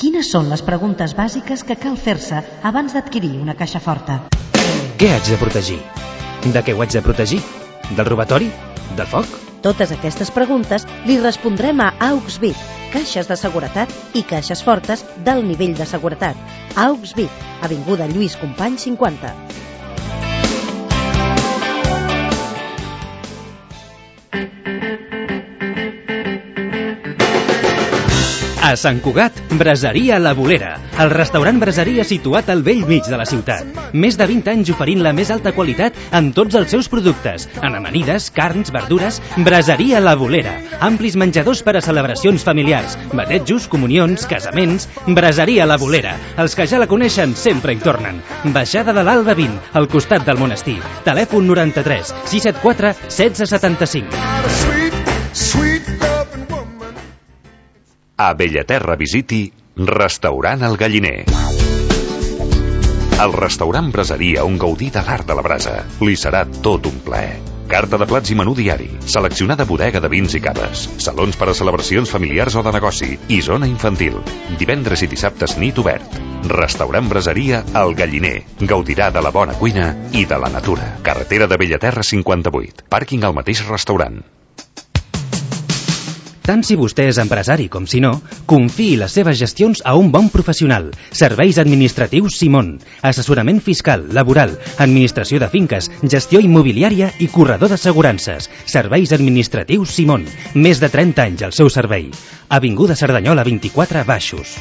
Quines són les preguntes bàsiques que cal fer-se abans d'adquirir una caixa forta? Què haig de protegir? De què ho haig de protegir? Del robatori? Del foc? Totes aquestes preguntes li respondrem a AUXVIC, caixes de seguretat i caixes fortes d'alt nivell de seguretat. AUXVIC, avinguda Lluís Companys 50. A Sant Cugat, Braseria La Bolera, el restaurant braseria situat al bell mig de la ciutat. Més de 20 anys oferint la més alta qualitat en tots els seus productes, en amanides, carns, verdures. Braseria La Bolera, amplis menjadors per a celebracions familiars, batejos, comunions, casaments. Braseria La Bolera, els que ja la coneixen sempre hi tornen. Baixada de l'Alba 20, al costat del monestir. Telèfon 93 674 1675. A Bellaterra visiti Restaurant El Galliner. El restaurant Braseria on gaudir de l'art de la brasa. Li serà tot un plaer. Carta de plats i menú diari, seleccionada bodega de vins i caves, salons per a celebracions familiars o de negoci i zona infantil. Divendres i dissabtes nit obert. Restaurant Braseria El Galliner. Gaudirà de la bona cuina i de la natura. Carretera de Bellaterra 58. Pàrquing al mateix restaurant. Tant si vostè és empresari com si no, confiï les seves gestions a un bon professional. Serveis administratius Simón. Assessorament fiscal, laboral, administració de finques, gestió immobiliària i corredor d'assegurances. Serveis administratius Simón. Més de 30 anys al seu servei. Avinguda Cerdanyola 24 Baixos.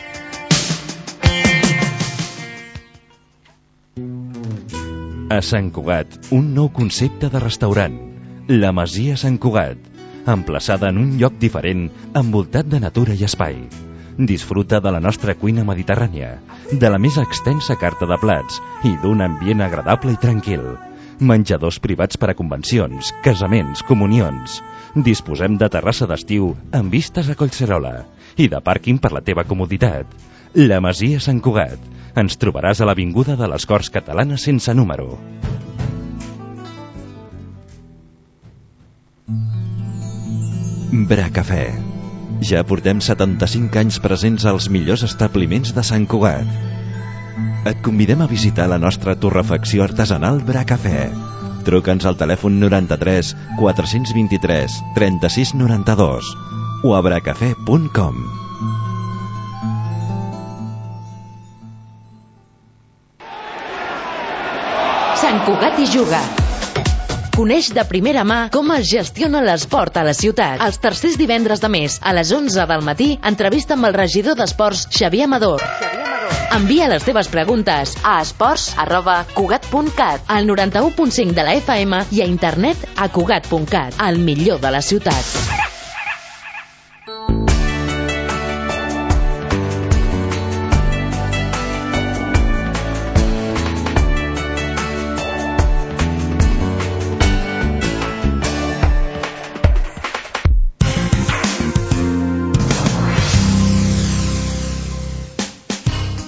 A Sant Cugat, un nou concepte de restaurant. La Masia Sant Cugat. Emplaçada en un lloc diferent, envoltat de natura i espai. Disfruta de la nostra cuina mediterrània, de la més extensa carta de plats i d'un ambient agradable i tranquil. Menjadors privats per a convencions, casaments, comunions. Disposem de terrassa d'estiu amb vistes a Collserola i de pàrquing per la teva comoditat. La Masia Sant Cugat. Ens trobaràs a l'avinguda de les Corts Catalanes sense número. Bracafè. Ja portem 75 anys presents als millors establiments de Sant Cugat. Et convidem a visitar la nostra torrefacció artesanal Bracafè. Truca'ns al telèfon 93 423 36 92 o a bracafè.com. Sant Cugat hi juga. Coneix de primera mà com es gestiona l'esport a la ciutat. Els tercers divendres de mes, a les 11 del matí, entrevista amb el regidor d'Esports, Xavier Amador. Envia les teves preguntes a esports@cugat.cat, al 91.5 de la FM i a internet a cugat.cat, el millor de la ciutat.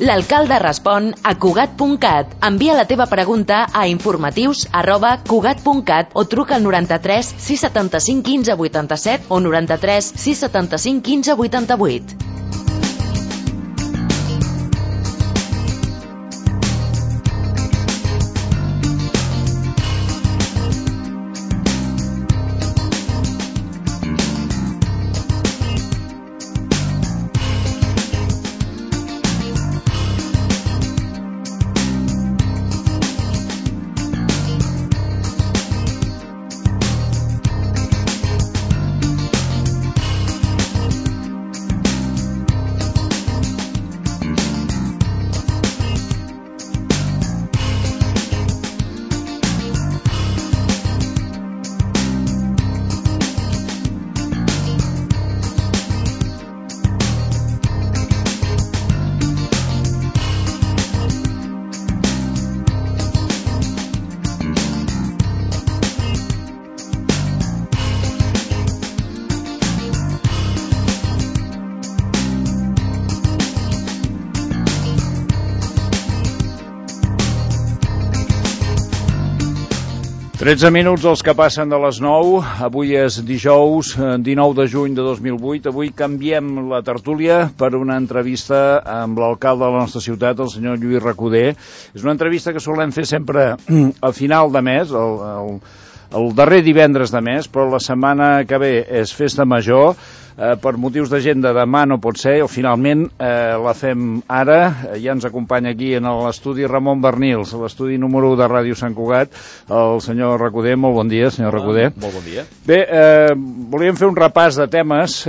L'alcalde respon a Cugat.cat. Envia la teva pregunta a informatius@cugat.cat o truca al 93 675 15 87 o 93 675 15 88. 13 minuts els que passen de les 9. Avui és dijous 19 de juny de 2008. Avui canviem la tertúlia per una entrevista amb l'alcalde de la nostra ciutat, el senyor Lluís Recoder. És una entrevista que solem fer sempre al final de mes, el darrer divendres de mes, però la setmana que ve és festa major. Per motius d'agenda demà no pot ser, o finalment la fem ara. Ja ens acompanya aquí en l'estudi Ramon Bernils, l'estudi número 1 de Ràdio Sant Cugat, el senyor Recoder. Molt bon dia, senyor Recoder. Molt bon dia. Bé, volíem fer un repàs de temes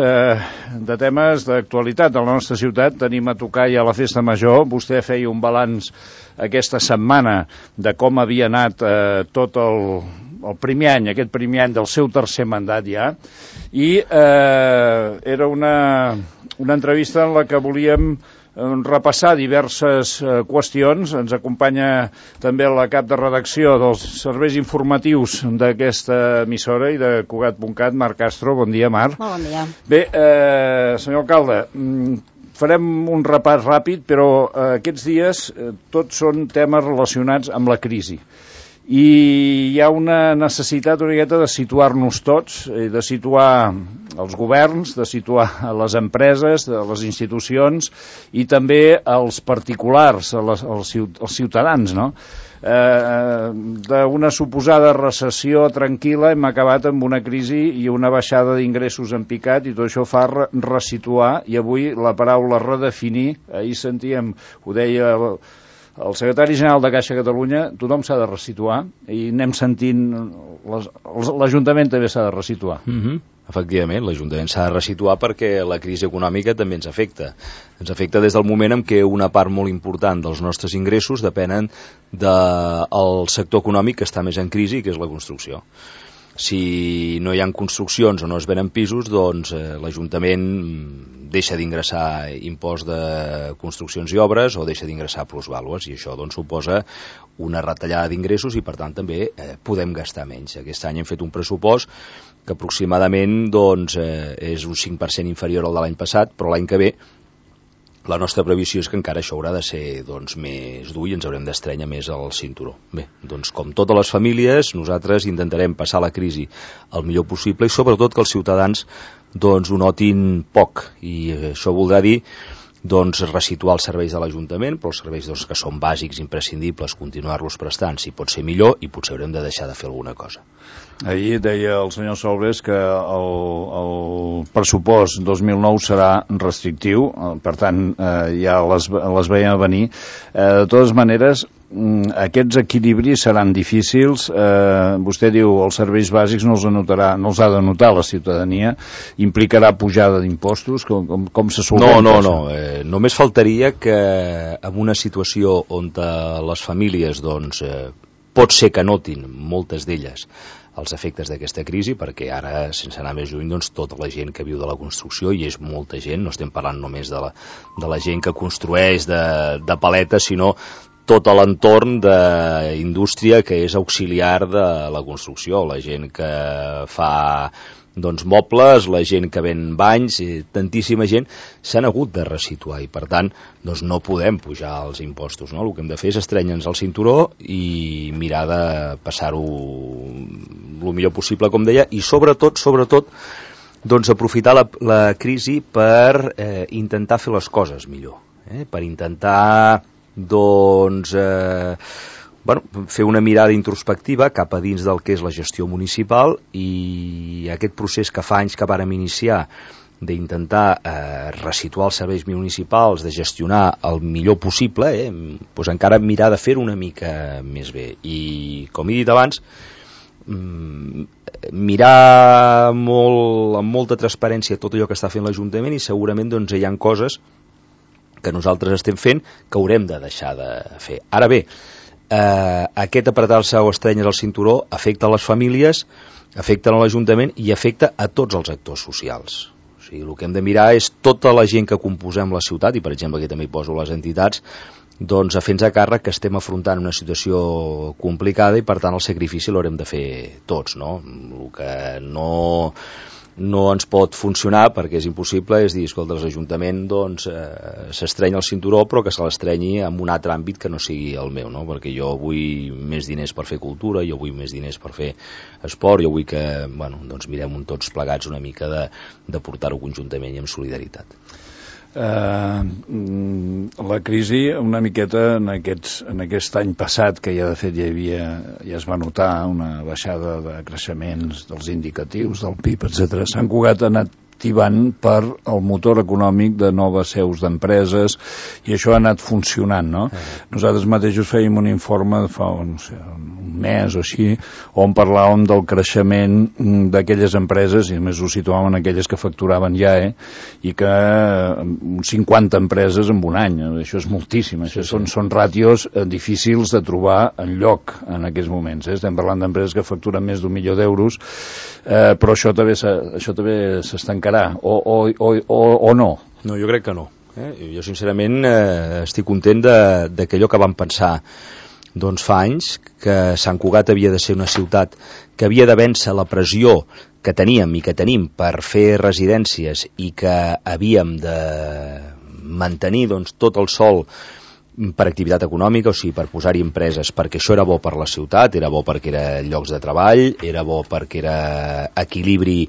d'actualitat de la nostra ciutat. Tenim a tocar ja la festa major. Vostè feia un balanç aquesta setmana de com havia anat tot el primer any, aquest primer any del seu tercer mandat ja, i era una entrevista en la que volíem repassar diverses qüestions. Ens acompanya també la cap de redacció dels serveis informatius d'aquesta emissora i de Cugat.cat, Marc Castro. Bon dia, Marc. Molt bon dia. Bé, senyor alcalde, farem un repàs ràpid, però aquests dies tots són temes relacionats amb la crisi. I hi ha una necessitat una miqueta de situar-nos tots, de situar els governs, de situar les empreses, les institucions i també els particulars, els ciutadans, no? D'una suposada recessió tranquil·la hem acabat amb una crisi i una baixada d'ingressos en picat, i tot això fa resituar, i avui la paraula redefinir, ahir sentíem, ho deia el secretari general de Caixa Catalunya, tothom s'ha de resituar, i anem sentint, l'Ajuntament també s'ha de resituar. Efectivament, l'Ajuntament s'ha de resituar perquè la crisi econòmica també ens afecta. Ens afecta des del moment en què una part molt important dels nostres ingressos depenen del sector econòmic que està més en crisi, que és la construcció. Si no hi ha construccions o no es venen pisos, doncs l'Ajuntament deixa d'ingressar impost de construccions i obres o deixa d'ingressar plusvàlues, i això doncs suposa una retallada d'ingressos i per tant també podem gastar menys. Aquest any hem fet un pressupost que aproximadament doncs, és un 5% inferior al de l'any passat, però l'any que ve la nostra previsió és que encara això haurà de ser doncs, més dur i ens haurem d'estrènyer més al cinturó. Bé, doncs com totes les famílies, nosaltres intentarem passar la crisi el millor possible i sobretot que els ciutadans doncs, ho notin poc, i això voldrà dir doncs, resituar els serveis de l'Ajuntament, però els serveis doncs, que són bàsics, imprescindibles, continuar-los prestant, si pot ser millor, i potser haurem de deixar de fer alguna cosa. Ahir deia el senyor Solbes que el pressupost 2009 serà restrictiu, per tant ja les veiem a venir. De totes maneres, aquests equilibris seran difícils. Vostè diu els serveis bàsics no els ha de notar la ciutadania, implicarà pujada d'impostos, com se solventa? No, només faltaria que en una situació on les famílies doncs, pot ser que notin, moltes d'elles, els efectes d'aquesta crisi, perquè ara, sense anar més lluny, doncs, tota la gent que viu de la construcció, i és molta gent, no estem parlant només de la gent que construeix de paletes, sinó tot l'entorn d'indústria que és auxiliar de la construcció, la gent que fa doncs, mobles, la gent que ven banys, tantíssima gent s'han hagut de resituar i per tant doncs, no podem pujar els impostos, no? El que hem de fer és estrènyer-nos al cinturó i mirar de passar-ho el millor possible, com deia, i sobretot doncs, aprofitar la crisi per intentar fer les coses millor, per intentar doncs fer una mirada introspectiva cap a dins del que és la gestió municipal, i aquest procés que fa anys que vàrem iniciar d'intentar resituar els serveis municipals, de gestionar el millor possible, doncs encara mirar de fer-ho una mica més bé. I com he dit abans, mirar amb molta transparència tot allò que està fent l'Ajuntament, i segurament doncs, hi ha coses que nosaltres estem fent que haurem de deixar de fer. Ara bé, aquest apretar-se o estrènyer al cinturó afecta a les famílies, afecta a l'Ajuntament i afecta a tots els actors socials. O sigui, el que hem de mirar és tota la gent que composem la ciutat, i per exemple aquí també hi poso les entitats, doncs a fer-nos a càrrec que estem afrontant una situació complicada i per tant el sacrifici l'haurem de fer tots, no? El que no no ens pot funcionar perquè és impossible, és dir, escolta, l'Ajuntament doncs s'estreny el cinturó però que se l'estrenyi en un altre àmbit que no sigui el meu, no? Perquè jo vull més diners per fer cultura, jo vull més diners per fer esport, jo vull que doncs mirem tots plegats una mica de portar-ho conjuntament i amb solidaritat. La crisi una miqueta en aquest any passat que ja de fet ja es va notar una baixada de creixements dels indicatius del PIB, etc. Sant Cugat ha anat activant per el motor econòmic de noves seus d'empreses i això ha anat funcionant, no? Nosaltres mateixos fèiem un informe de fa un mes o així on parlàvem del creixement d'aquelles empreses i a més ho situàvem en aquelles que facturaven ja i que 50 empreses en un any, això és moltíssim, això són ràtios difícils de trobar enlloc en aquests moments, estem parlant d'empreses que facturen més d'1 milió d'euros, però això també s'estancarà o no? No, jo crec que no. Jo sincerament estic content d'allò que vam pensar doncs fa anys, que Sant Cugat havia de ser una ciutat que havia de vèncer la pressió que teníem i que tenim per fer residències i que havíem de mantenir doncs, tot el sòl per activitat econòmica, o sigui, per posar-hi empreses, perquè això era bo per la ciutat, era bo perquè era llocs de treball, era bo perquè era equilibri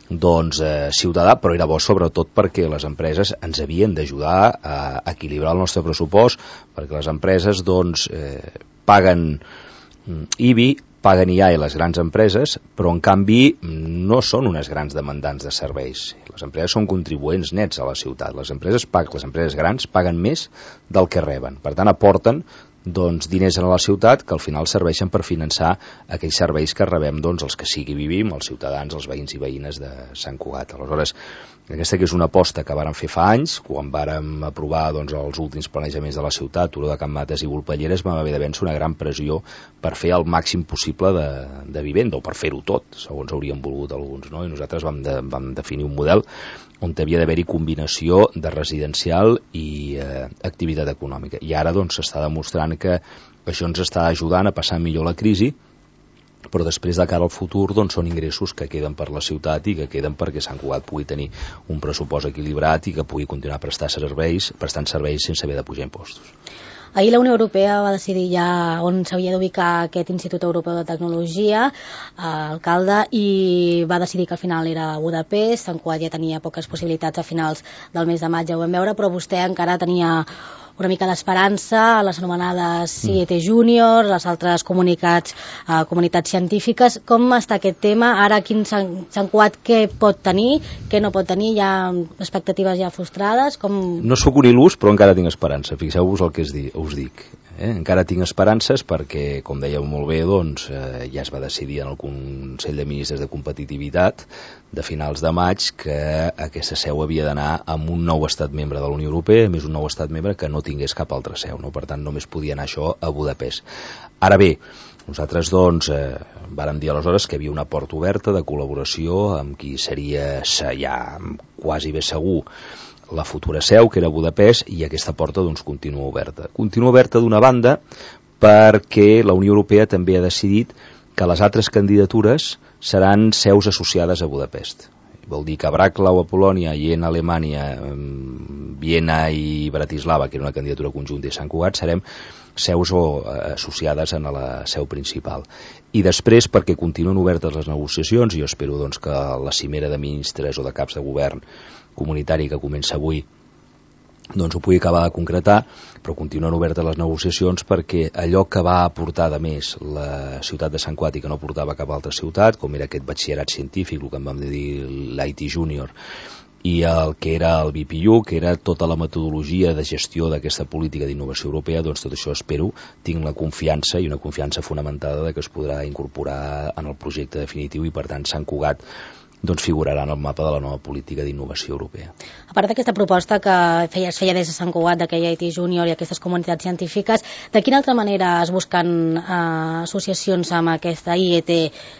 doncs ciutadà, però era bo sobretot perquè les empreses ens havien d'ajudar a equilibrar el nostre pressupost, perquè les empreses doncs paguen IBI, paguen IAE les grans empreses, però en canvi no són unes grans demandants de serveis. Les empreses són contribuents nets a la ciutat. Les empreses grans paguen més del que reben. Per tant, aporten doncs, diners a la ciutat que al final serveixen per finançar aquells serveis que rebem doncs, els que sigui vivim, els ciutadans, els veïns i veïnes de Sant Cugat. Aleshores, aquesta que és una aposta que vàrem fer fa anys, quan vàrem aprovar doncs, els últims planejaments de la ciutat, Turó de Can Mates i Volpelleres, vam haver de vèncer una gran pressió per fer el màxim possible de vivenda, o per fer-ho tot, segons haurien volgut alguns, no? I nosaltres vam definir un model on havia d'haver-hi combinació de residencial i activitat econòmica. I ara doncs s'està demostrant que això ens està ajudant a passar millor la crisi, però després de cara al futur doncs, són ingressos que queden per la ciutat i que queden perquè Sant Cugat pugui tenir un pressupost equilibrat i que pugui continuar prestant serveis sense haver de pujar impostos. Ahir la Unió Europea va decidir ja on s'havia d'ubicar aquest Institut Europeu de Tecnologia, alcalde, i va decidir que al final era a Budapest. Sant Cugat ja tenia poques possibilitats a finals del mes de maig, ja ho vam veure, però vostè encara tenia una mica d'esperança, les anomenades CIET Júnior, les altres comunitats científiques. Com està aquest tema? Ara aquí Sant Cugat què pot tenir, què no pot tenir? Hi ha expectatives ja frustrades? No sóc un il·lus, però encara tinc esperança. Fixeu-vos el que us dic. Encara tinc esperances perquè, com dèieu molt bé, doncs, ja es va decidir en el Consell de Ministres de Competitivitat de finals de maig que aquesta seu havia d'anar amb un nou estat membre de la Unió Europea, més un nou estat membre que no tingués cap altra seu, no? Per tant només podia anar això a Budapest. Ara bé, nosaltres doncs vàrem dir aleshores que hi havia una porta oberta de col·laboració amb qui seria ja quasi bé segur la futura seu, que era Budapest, i aquesta porta doncs continua oberta. Continua oberta d'una banda perquè la Unió Europea també ha decidit que les altres candidatures seran seus associades a Budapest. Vol dir que Braclau a Polònia i en Alemanya, Viena i Bratislava, que era una candidatura conjunta, i Sant Cugat, serem seus associades a la seu principal. I després, perquè continuen obertes les negociacions, i jo espero doncs, que la cimera de ministres o de caps de govern comunitari que comença avui doncs ho pugui acabar de concretar, però continuen obertes les negociacions perquè allò que va aportar de més la ciutat de Sant Cugat i que no portava cap altra ciutat, com era aquest batxillerat científic, el que en vam dir l'IT Júnior, i el que era el BPU, que era tota la metodologia de gestió d'aquesta política d'innovació europea, doncs tot això espero, tinc la confiança i una confiança fonamentada de que es podrà incorporar en el projecte definitiu i per tant Sant Cugat doncs figurarà en el mapa de la nova política d'innovació europea. A part d'aquesta proposta que es feia des de Sant Cugat, d'aquella IT Júnior i aquestes comunitats científiques, de quina altra manera es busquen associacions amb aquesta IET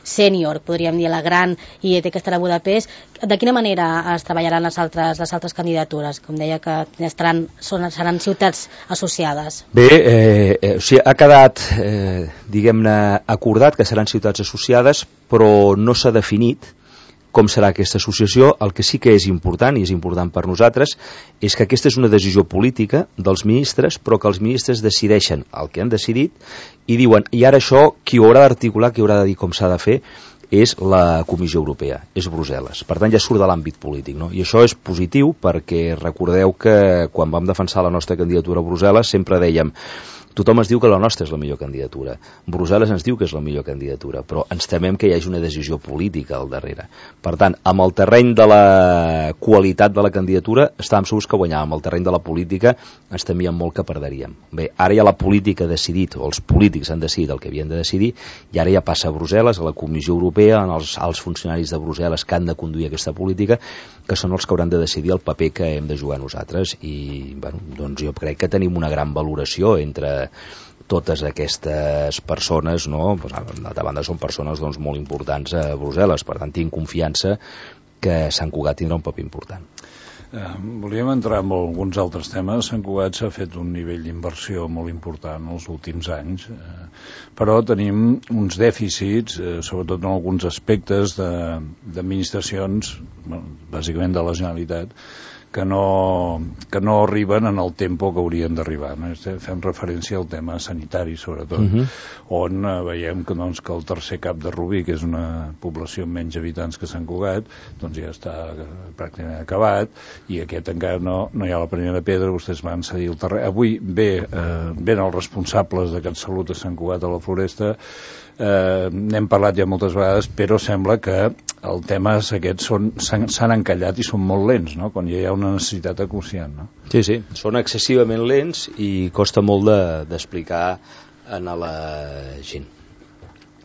Sènior, podríem dir la gran IET que estarà a Budapest? De quina manera es treballaran les altres candidatures? Com deia que seran ciutats associades. Bé, o sigui, ha quedat, diguem-ne, acordat que seran ciutats associades, però no s'ha definit com serà aquesta associació. El que sí que és important, i és important per nosaltres, és que aquesta és una decisió política dels ministres, però que els ministres decideixen el que han decidit i diuen, i ara això, qui ho haurà d'articular, qui haurà de dir com s'ha de fer, és la Comissió Europea, és Brussel·les. Per tant, ja surt de l'àmbit polític, no? I això és positiu perquè recordeu que quan vam defensar la nostra candidatura a Brussel·les sempre dèiem tothom ens diu que la nostra és la millor candidatura. Brussel·les ens diu que és la millor candidatura, però ens temem que hi hagi una decisió política al darrere. Per tant, amb el terreny de la qualitat de la candidatura estàvem segurs que guanyàvem. Amb el terreny de la política ens temíem molt que perderíem. Bé, ara ja la política ha decidit, o els polítics han decidit el que havien de decidir, i ara ja passa a Brussel·les, a la Comissió Europea, als funcionaris de Brussel·les que han de conduir aquesta política, que són els que hauran de decidir el paper que hem de jugar nosaltres. I bueno, doncs jo crec que tenim una gran valoració entre totes aquestes persones, no? Pues, d'altra banda són persones doncs, molt importants a Brussel·les, per tant tinc confiança que Sant Cugat tindrà un paper important. Volíem entrar en alguns altres temes. Sant Cugat s'ha fet un nivell d'inversió molt important els últims anys, però tenim uns dèficits, sobretot en alguns aspectes d'administracions, bàsicament de la Generalitat, que no arriben en el tempo que haurien d'arribar. Fem referència al tema sanitari, sobretot, on veiem que el tercer cap de Rubí, que és una població amb menys habitants que Sant Cugat, doncs ja està pràcticament acabat, i aquest encara no hi ha la primera pedra. Vostès van cedir el terreny. Avui ven els responsables de CatSalut a Sant Cugat a la Floresta. N'hem parlat ja moltes vegades, però sembla que els temes aquests s'han encallat i són molt lents, no? Quan ja hi ha una necessitat acuciant, no? Sí, són excessivament lents i costa molt d'explicar a la gent.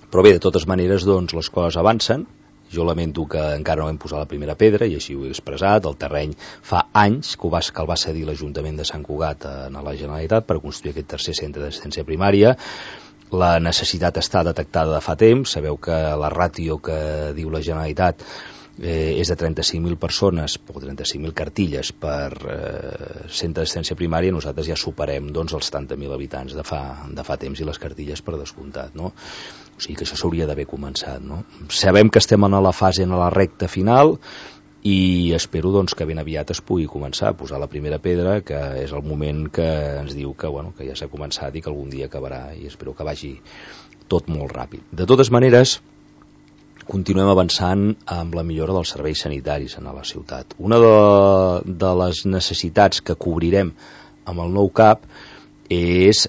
Però bé, de totes maneres, doncs, les coses avancen. Jo lamento que encara no hem posat la primera pedra, i així ho he expressat. El terreny fa anys que el va cedir l'Ajuntament de Sant Cugat a la Generalitat per construir aquest tercer centre d'assistència primària. La necessitat està detectada de fa temps. Sabeu que la ràtio que diu la Generalitat és de 35.000 persones o 35.000 cartilles per centre d'assistència primària. Nosaltres ja superem doncs, els 70.000 habitants de fa temps, i les cartilles per descomptat, no? O sigui que això s'hauria d'haver començat, no? Sabem que estem en la fase, en la recta final, i espero doncs, que ben aviat es pugui començar a posar la primera pedra, que és el moment que ens diu que ja s'ha començat i que algun dia acabarà, i espero que vagi tot molt ràpid. De totes maneres, continuem avançant amb la millora dels serveis sanitaris a la ciutat. Una de les necessitats que cobrirem amb el nou CAP és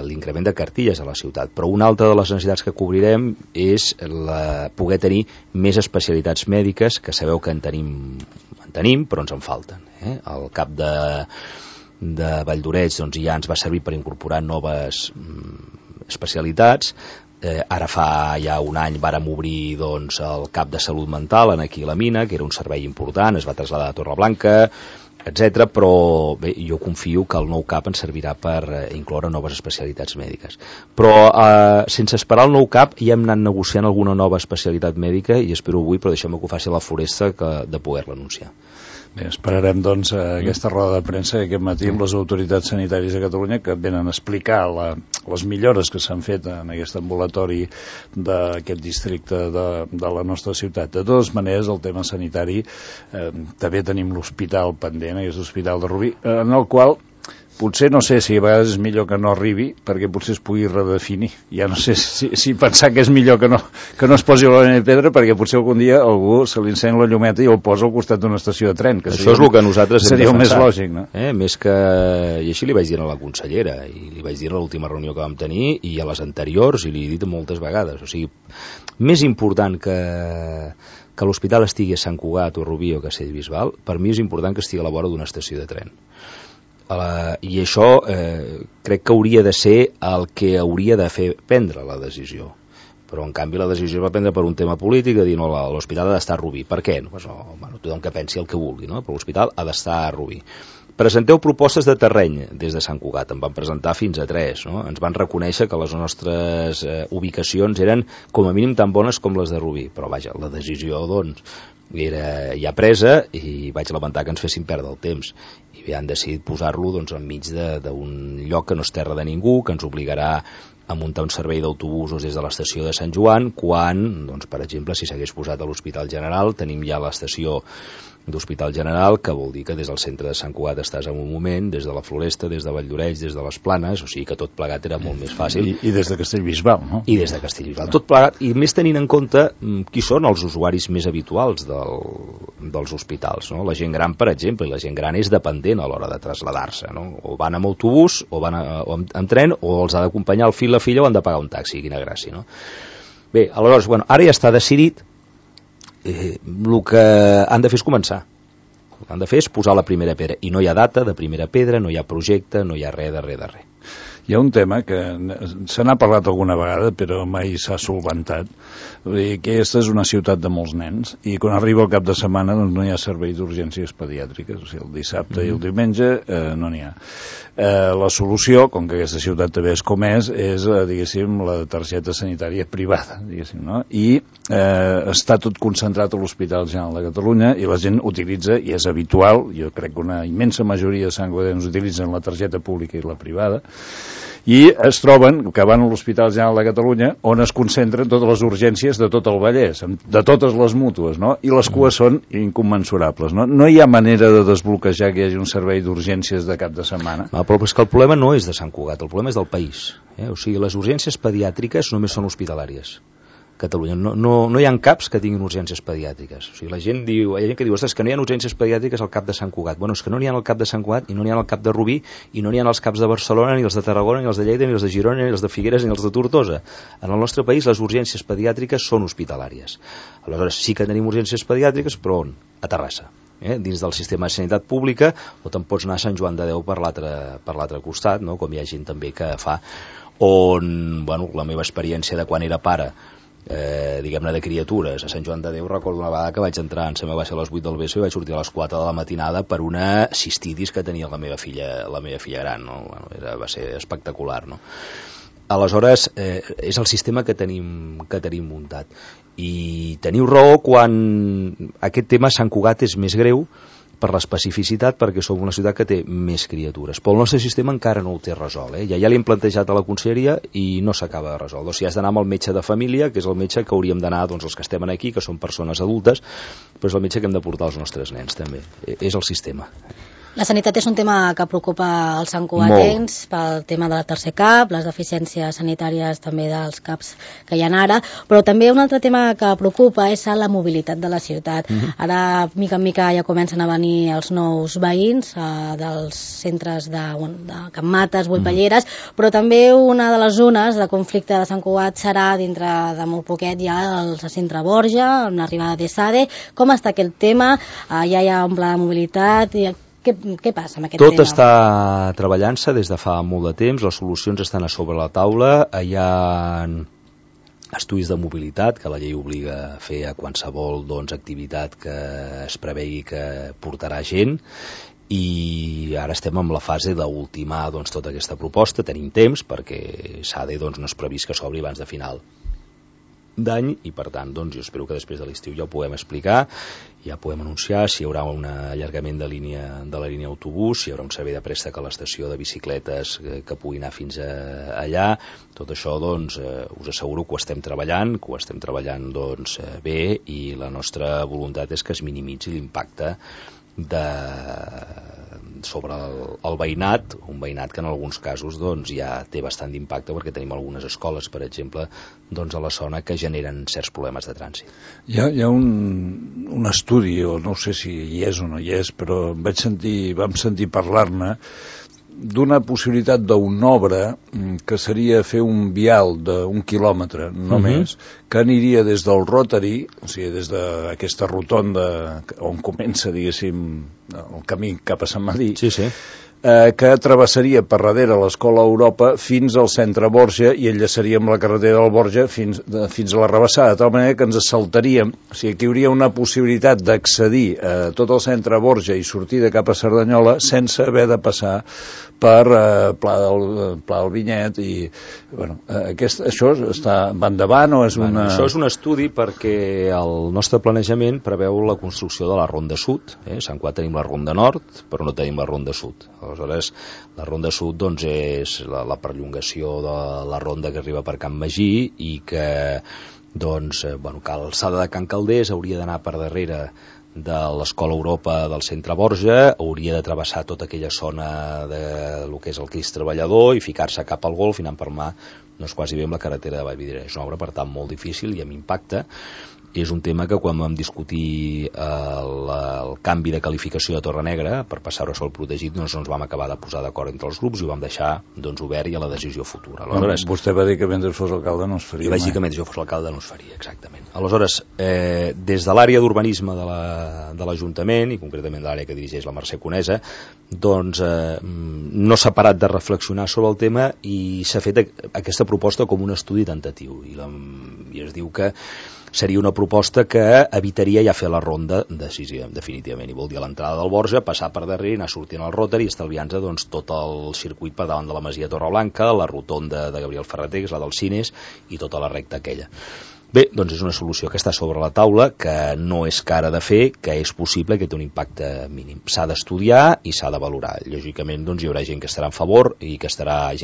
l'increment de cartilles a la ciutat, però una altra de les necessitats que cobrirem és poder tenir més especialitats mèdiques, que sabeu que en tenim, però ens en falten. El CAP de Valldoreix doncs, ja ens va servir per incorporar noves especialitats. Ara fa ja un any vàrem obrir doncs, el CAP de Salut Mental aquí a la Mina, que era un servei important, es va traslladar a Torreblanca, etc. Però bé, jo confio que el nou CAP ens servirà per incloure noves especialitats mèdiques. Però sense esperar el nou CAP ja hem anat negociant alguna nova especialitat mèdica, i espero avui, però deixeu-me que ho faci a la Floresta, de poder-la anunciar. Bé, esperarem doncs aquesta roda de premsa aquest matí amb les autoritats sanitàries de Catalunya, que venen a explicar les millores que s'han fet en aquest ambulatori d'aquest districte de la nostra ciutat. De totes maneres, el tema sanitari, també tenim l'hospital pendent, aquest hospital de Rubí, en el qual potser no sé si a vegades és millor que no arribi, perquè potser es pugui redefinir. Ja no sé si pensar que és millor que no es posi la línia de pedra, perquè potser algun dia algú se li encén la llumeta i el posa al costat d'una estació de tren. Que això és el que nosaltres seria el més lògic, no? Més que... I així li vaig dir a la consellera, i li vaig dir a l'última reunió que vam tenir, i a les anteriors, i li he dit moltes vegades. O sigui, més important que l'hospital estigui a Sant Cugat o Rubí o Castellbisbal, per mi és important que estigui a la vora d'una estació de tren. I això crec que hauria de ser el que hauria de fer prendre la decisió, però en canvi la decisió es va prendre per un tema polític, de dir no, l'hospital ha d'estar a Rubí. Per què? Tothom que pensi el que vulgui, no? Però l'hospital ha d'estar a Rubí. Presenteu propostes de terreny des de Sant Cugat, en van presentar fins a 3, no? Ens van reconèixer que les nostres ubicacions eren com a mínim tan bones com les de Rubí, però vaja, la decisió doncs era ja presa, i vaig lamentar que ens fessin perdre el temps, i han decidit posar-lo doncs, enmig d'un lloc que no és terra de ningú, que ens obligarà a muntar un servei d'autobusos des de l'estació de Sant Joan, quan, doncs, per exemple, si s'hagués posat a l'Hospital General, tenim ja l'estació d'Hospital General, que vol dir que des del centre de Sant Cugat estàs en un moment, des de la Floresta, des de Valldoreix, des de les Planes, o sigui que tot plegat era molt més fàcil. I des de Castellbisbal, no? I des de Castellbisbal. Tot plegat, i més tenint en compte qui són els usuaris més habituals dels hospitals, no? La gent gran, per exemple, i la gent gran és dependent a l'hora de traslladar-se, no? O van amb autobús, o van amb tren, o els ha d'acompanyar el fill, la filla, o han de pagar un taxi, quina gràcia, no? Bé, aleshores, bueno, ara ja està decidit. El que han de fer és començar. El que han de fer és posar la primera pedra. I no hi ha data de primera pedra, no hi ha projecte, no hi ha res de res. Hi ha un tema que se n'ha parlat alguna vegada, però mai s'ha solventat. Vull dir que aquesta és una ciutat de molts nens, i quan arriba el cap de setmana doncs no hi ha servei d'urgències pediàtriques, o sigui, el dissabte i el diumenge no n'hi ha. La solució, com que aquesta ciutat també és com és, diguéssim, la targeta sanitària privada, diguéssim, no? I està tot concentrat a l'Hospital General de Catalunya, i la gent utilitza, i és habitual, jo crec que una immensa majoria de santcugatencs utilitzen la targeta pública i la privada, i es troben que van a l'Hospital General de Catalunya, on es concentren totes les urgències de tot el Vallès, de totes les mútues, no? I les cues són incommensurables, no? No hi ha manera de desbloquejar que hi hagi un servei d'urgències de cap de setmana. Però és que el problema no és de Sant Cugat, el problema és del país. O sigui, les urgències pediàtriques només són hospitalàries. Catalunya. No hi ha CAPs que tinguin urgències pediàtriques. O sigui, la gent diu, ostres, que no hi ha urgències pediàtriques al cap de Sant Cugat. Bueno, és que no n'hi ha al cap de Sant Cugat, i no n'hi ha al cap de Rubí, i no n'hi ha als caps de Barcelona, ni els de Tarragona, ni els de Lleida, ni els de Girona, ni els de Figueres, ni els de Tortosa. En el nostre país les urgències pediàtriques són hospitalàries. Aleshores, sí que tenim urgències pediàtriques, però on? A Terrassa. Dins del sistema de sanitat pública, o te'n pots anar a Sant Joan de Déu per l'altre costat, no? Com hi ha gent també que fa, on, bueno, la meva experiència de quan era pare, diguem-ne, de criatures a Sant Joan de Déu, recordo una vegada que vaig entrar, em sembla que va ser a les 8 del vespre, i vaig sortir a les 4 de la matinada per una cistidis que tenia la meva filla gran, no? Bueno, va ser espectacular, no? Aleshores, és el sistema que tenim muntat, i teniu raó quan aquest tema a Sant Cugat és més greu per l'especificitat, perquè som una ciutat que té més criatures, però el nostre sistema encara no ho té resolt, ja l'hem plantejat a la conselleria i no s'acaba de resoldre. O sigui, has d'anar amb el metge de família, que és el metge que hauríem d'anar, doncs, els que estem aquí, que són persones adultes, però és el metge que hem de portar als nostres nens també, és el sistema. La sanitat és un tema que preocupa els santcugatencs pel tema del tercer CAP, les deficiències sanitàries també dels CAPs que hi ha ara, però també un altre tema que preocupa és la mobilitat de la ciutat. Ara, mica en mica, ja comencen a venir els nous veïns dels centres de Can Mates, Boipelleres, però també una de les zones de conflicte de Sant Cugat serà, dintre de molt poquet, ja el centre Borja, amb l'arribada d'ESADE. Com està aquest tema? Ja hi ha un pla de mobilitat? Què passa amb aquest tema? Tot està treballant-se des de fa molt de temps, les solucions estan a sobre la taula, hi ha estudis de mobilitat que la llei obliga a fer a qualsevol activitat que es prevegi que portarà gent, i ara estem en la fase d'ultimar tota aquesta proposta. Tenim temps perquè SADE no és previst que s'obri abans de final d'any, i per tant jo espero que després de l'estiu ja ho puguem explicar, ja podem anunciar si hi haurà un allargament de la línia autobús, si hi haurà un servei de préstec a l'estació de bicicletes que pugui anar fins allà. Tot això us asseguro que ho estem treballant, bé, i la nostra voluntat és que es minimitzi l'impacte sobre el veïnat, un veïnat que en alguns casos ja té bastant d'impacte, perquè tenim algunes escoles, per exemple, a la zona que generen certs problemes de trànsit. Hi ha un estudi, o no sé si hi és o no hi és, però vam sentir parlar-ne d'una possibilitat d'una obra que seria fer un vial d'1 quilòmetre només, que aniria des del Rotary, o sigui, des d'aquesta rotonda on comença, diguéssim, el camí cap a Sant Madí, que travessaria per darrere l'Escola Europa fins al centre Borja i enllaçaria amb la carretera del Borja fins a la Rabassada, de tal manera que ens saltaríem, o sigui, que hi hauria una possibilitat d'accedir a tot el centre Borja i sortir de cap a Cerdanyola sense haver de passar per Pla del Vinyet, i això va endavant o és una... Això és un estudi perquè el nostre planejament preveu la construcció de la Ronda Sud. A Sant Cugat tenim la Ronda Nord, però no tenim la Ronda Sud. Aleshores, la Ronda Sud doncs, és la perllongació de la ronda que arriba per Can Magí i que doncs, que a l'alçada de Can Calders hauria d'anar per darrere de l'Escola Europa del centre Borja, hauria de travessar tota aquella zona de lo que és el Crist Treballador i ficar-se cap al Golf i anar per mà, no és quasi bé amb la carretera de Vallvidrera. És una obra, per tant, molt difícil i amb impacte. És un tema que quan vam discutir el canvi de qualificació de Torre Negra per passar-ho a sòl protegit, doncs ens vam acabar de posar d'acord entre els grups i ho vam deixar doncs, obert i a la decisió futura. Aleshores, vostè va dir que mentre fos alcalde no es faria. Jo vaig dir que mentre jo fos alcalde no es faria, exactament. Aleshores, des de l'àrea d'urbanisme de l'Ajuntament, i concretament de l'àrea que dirigeix la Mercè Conesa, doncs no s'ha parat de reflexionar sobre el tema i s'ha fet aquesta proposta com un estudi tentatiu. I es diu que seria una proposta que evitaria ja fer la ronda definitivament, i vol dir a l'entrada del Borja, passar per darrere, anar sortint al Rotary i estalviant-se doncs, tot el circuit per davant de la Masia Torreblanca, la rotonda de Gabriel Ferreter, que és la dels Cines, i tota la recta aquella. Bé, doncs és una solució que està sobre la taula, que no és cara de fer, que és possible, que té un impacte mínim. S'ha d'estudiar i s'ha de valorar. Lògicament, doncs, hi haurà gent que estarà en favor i gent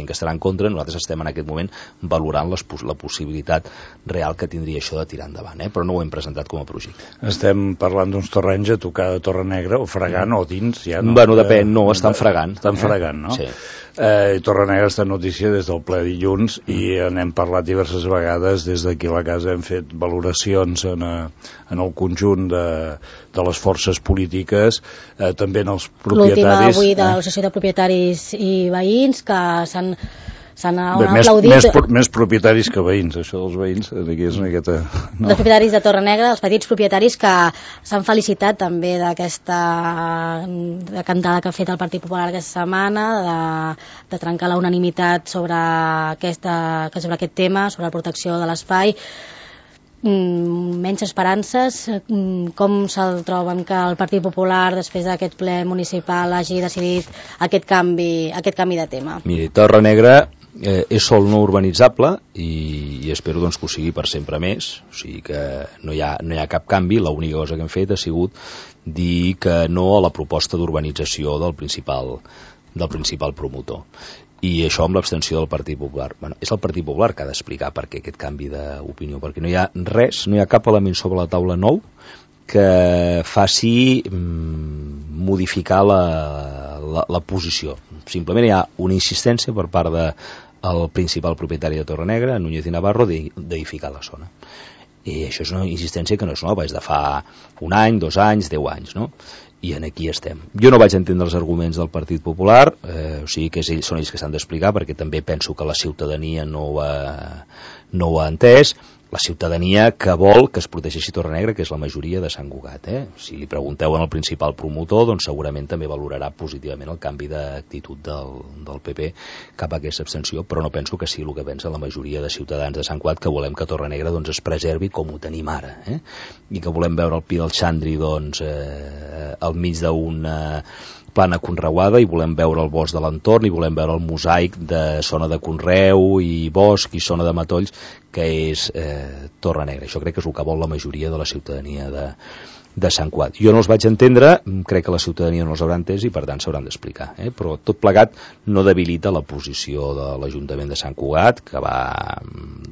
que estarà en contra. Nosaltres estem en aquest moment valorant la possibilitat real que tindria això de tirar endavant, però no ho hem presentat com a projecte. Estem parlant d'uns terrenys a tocar de Torre Negra, o fregant, o dins, ja no? Bueno, depèn, no, estan fregant. Estan fregant, no? Sí. Torre Negra està en notícia des del ple dilluns i n'hem parlat diverses vegades. Des d'aquí a la casa hem fet valoracions en el conjunt de les forces polítiques, també en els propietaris. L'última avui de l'Associació de Propietaris i Veïns, que s'han aplaudit. Més propietaris que veïns, això dels veïns aquí és una miqueta... No. Els propietaris de Torre Negra, els petits propietaris que s'han felicitat també d'aquesta cantada que ha fet el Partit Popular aquesta setmana, de trencar la unanimitat sobre aquest tema, sobre la protecció de l'espai. Menys esperances. Com se'l troben que el Partit Popular, després d'aquest ple municipal, hagi decidit aquest canvi de tema? Miri, Torre Negra és sòl no urbanitzable i espero doncs, que ho sigui per sempre més, o sigui que no hi ha cap canvi. L'única cosa que hem fet ha sigut dir que no a la proposta d'urbanització del principal promotor, i això amb l'abstenció del Partit Popular. Bueno, és el Partit Popular que ha d'explicar per què aquest canvi d'opinió, perquè no hi ha res, no hi ha cap element sobre la taula nou que faci modificar la posició. Simplement hi ha una insistència per part del principal propietari de Torre Negra, Núñez i Navarro, d'edificar la zona. I això és una insistència que no és nova, és de fa un any, 2 anys, 10 anys, no? I aquí estem. Jo no vaig entendre els arguments del Partit Popular, o sigui que són ells que s'han d'explicar, perquè també penso que la ciutadania no ho ha entès. La ciutadania que vol que es protegeixi Torre Negra, que és la majoria de Sant Cugat. Si li pregunteu al principal promotor, doncs segurament també valorarà positivament el canvi d'actitud del PP cap a aquesta abstenció, però no penso que sigui el que pensa la majoria de ciutadans de Sant Cugat, que volem que Torre Negra doncs, es preservi com ho tenim ara, i que volem veure el Pi del Xandri doncs, al mig d'una plana conreuada, i volem veure el bosc de l'entorn, i volem veure el mosaic de zona de conreu i bosc i zona de matolls que és Torre Negra. Això crec que és el que vol la majoria de la ciutadania de Sant Cugat. Jo no els vaig entendre, crec que la ciutadania no els haurà entès i per tant s'hauran d'explicar, però tot plegat no debilita la posició de l'Ajuntament de Sant Cugat, que va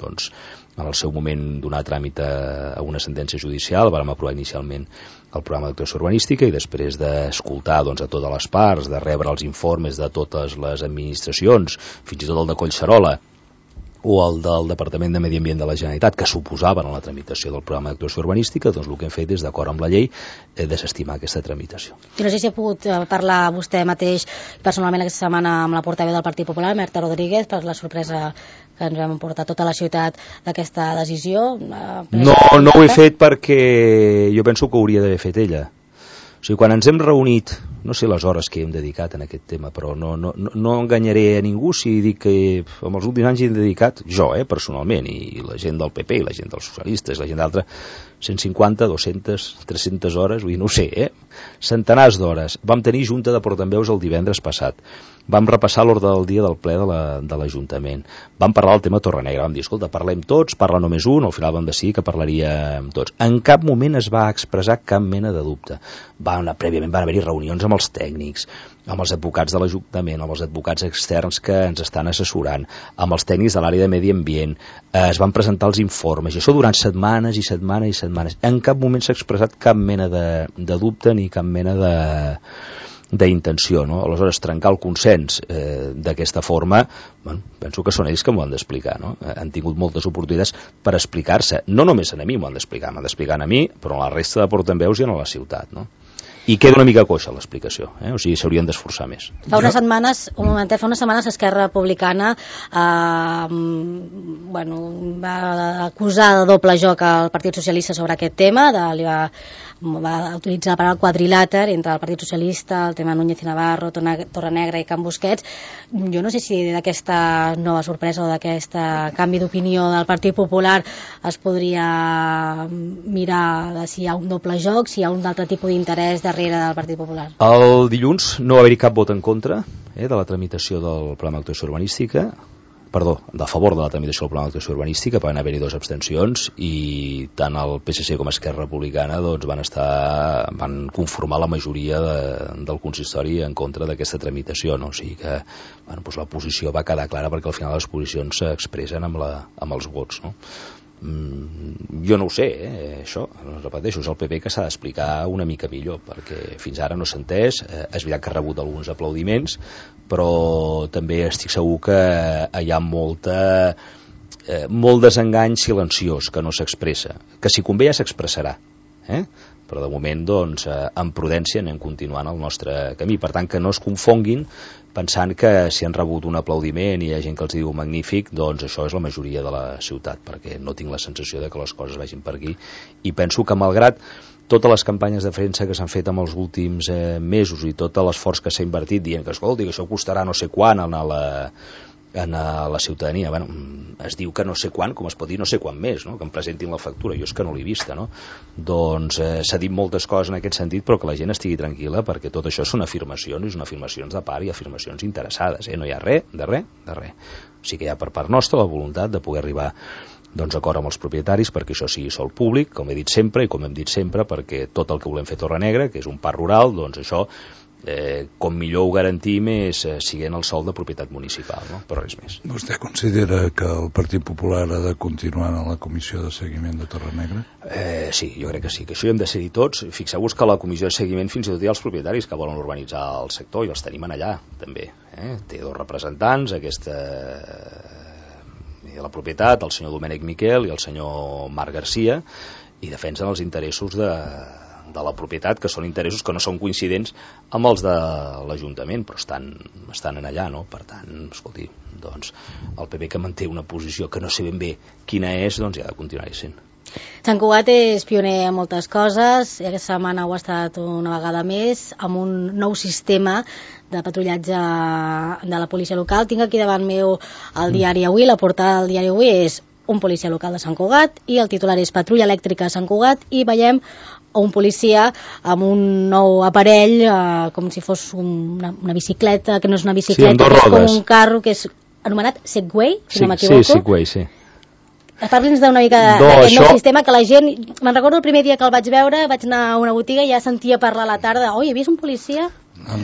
doncs, en el seu moment donar tràmit a una sentència judicial. Vam aprovar inicialment el programa d'actuació urbanística i després d'escoltar doncs, a totes les parts, de rebre els informes de totes les administracions, fins i tot el de Collserola o el del Departament de Medi Ambient de la Generalitat, que suposaven en la tramitació del programa d'actuació urbanística, doncs el que hem fet és, d'acord amb la llei, desestimar aquesta tramitació. I no sé si ha pogut parlar vostè mateix personalment aquesta setmana amb la portaveu del Partit Popular, Marta Rodríguez, per la sorpresa que ens vam emportar tota la ciutat d'aquesta decisió? No ho he fet perquè jo penso que ho hauria d'haver fet ella. O sigui, quan ens hem reunit, no sé les hores que hem dedicat en aquest tema, però no enganyaré a ningú si dic que en els últims anys hi hem dedicat, jo, personalment, i la gent del PP, i la gent dels socialistes, la gent d'altra, 150, 200, 300 hores, vull dir, no ho sé, centenars d'hores. Vam tenir junta de portaveus el divendres passat. Vam repassar l'ordre del dia del ple de l'Ajuntament. Vam parlar del tema Torre Negra. Vam dir, escolta, parlem tots, parla només un, al final vam decidir que parlaríem tots. En cap moment es va expressar cap mena de dubte. Prèviament van haver-hi reunions amb els tècnics, amb els advocats de l'Ajuntament, amb els advocats externs que ens estan assessorant, amb els tècnics de l'àrea de medi ambient, es van presentar els informes, i això durant setmanes i setmanes i setmanes. En cap moment s'ha expressat cap mena de dubte ni cap mena d'intenció, no? Aleshores, trencar el consens d'aquesta forma, bueno, penso que són ells que m'ho han d'explicar, no? Han tingut moltes oportunitats per explicar-se. No només a mi m'ho han d'explicar, m'han d'explicar a mi, però a la resta de portaveus i a la ciutat, no? I queda una mica coixa l'explicació, o sigui, s'haurien d'esforçar més. Fa unes setmanes Esquerra Republicana va acusar de doble joc al Partit Socialista sobre aquest tema, va utilitzar la paraula quadrilàter entre el Partit Socialista, el tema Núñez i Navarro, Torrenegra i Can Busquets. Jo no sé si d'aquesta nova sorpresa o d'aquest canvi d'opinió del Partit Popular es podria mirar si hi ha un doble joc, si hi ha un altre tipus d'interès darrere del Partit Popular. El dilluns no va haver-hi cap vot en contra de la tramitació del Pla d'actuació urbanística, a favor de la tramitació del Pla d'actuació urbanística, van haver-hi 2 abstencions i tant el PSC com Esquerra Republicana van conformar la majoria del consistori en contra d'aquesta tramitació, no? O sigui que la posició va quedar clara perquè al final les posicions s'expressen amb els vots, no? Jo no ho sé, això, repeteixo, és el PP que s'ha d'explicar una mica millor, perquè fins ara no s'ha entès, és veritat que ha rebut alguns aplaudiments, però també estic segur que hi ha molt desengany silenciós que no s'expressa, que si convé ja s'expressarà, però de moment, doncs, amb prudència anem continuant el nostre camí, per tant que no es confonguin pensant que si han rebut un aplaudiment i hi ha gent que els diu magnífic, doncs això és la majoria de la ciutat, perquè no tinc la sensació de que les coses vagin per aquí, i penso que malgrat totes les campanyes de premsa que s'han fet en els últims mesos i tot l'esforç que s'ha invertit dient que, escolti, que això costarà no sé quant a la ciutadania, bueno, es diu que no sé quan, com es pot dir no sé quan més, no? Que em presentin la factura, jo és que no l'he vista, no? Doncs s'ha dit moltes coses en aquest sentit, però que la gent estigui tranquil·la, perquè tot això són afirmacions de part i afirmacions interessades, no hi ha res de res. O sigui que hi ha per part nostra la voluntat de poder arribar acord amb els propietaris perquè això sigui sòl públic, com he dit sempre i com hem dit sempre, perquè tot el que volem fer a Torrenegra, que és un parc rural, doncs això com millor ho garantim és siguent el sòl de propietat municipal, no? Però res més. Vostè considera que el Partit Popular ha de continuar en la comissió de seguiment de Torrenegra? Sí, jo crec que sí, que això hi hem de ser-hi tots. Fixeu-vos que la comissió de seguiment fins i tot hi ha els propietaris que volen urbanitzar el sector i els tenim allà, també. Té 2 representants, de la propietat, el senyor Domènec Miquel i el senyor Marc Garcia, i defensen els interessos de la propietat, que són interessos que no són coincidents amb els de l'Ajuntament, però estan allà, no? Per tant, escolti, doncs el PP que manté una posició que no sé ben bé quina és, doncs ja ha de continuar-hi sent. Sant Cugat és pioner en moltes coses, i aquesta setmana ho ha estat una vegada més, amb un nou sistema de patrullatge de la policia local. Tinc aquí davant meu el diari Avui, la portada del diari Avui és un policia local de Sant Cugat i el titular és Patrulla elèctrica a Sant Cugat, i veiem un policia amb un nou aparell, com si fos una bicicleta, que no és una bicicleta, que és com un carro, que és anomenat Segway, si no m'equivoco. Sí, Segway, sí. Parli'ns d'una mica d'aquest nou sistema, que la gent, me'n recordo el primer dia que el vaig veure, vaig anar a una botiga i ja sentia parlar a la tarda, oi, he vist un policia?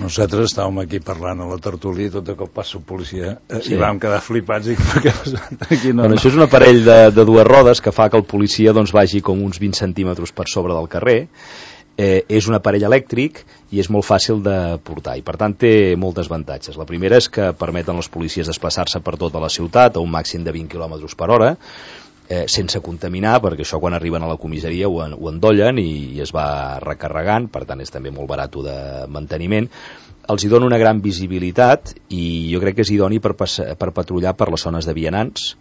Nosaltres estàvem aquí parlant a la tertúlia i tot de cop passa un policia i vam quedar flipats i què passa? Això és un aparell de 2 rodes que fa que el policia vagi com uns 20 centímetres per sobre del carrer. És un aparell elèctric i és molt fàcil de portar i per tant té moltes avantatges. La primera és que permeten als policies desplaçar-se per tota la ciutat a un màxim de 20 km per hora, sense contaminar, perquè això quan arriben a la comissaria ho endollen i es va recarregant, per tant és també molt barat de manteniment. Els hi dona una gran visibilitat i jo crec que és idoni per patrullar per les zones de vianants,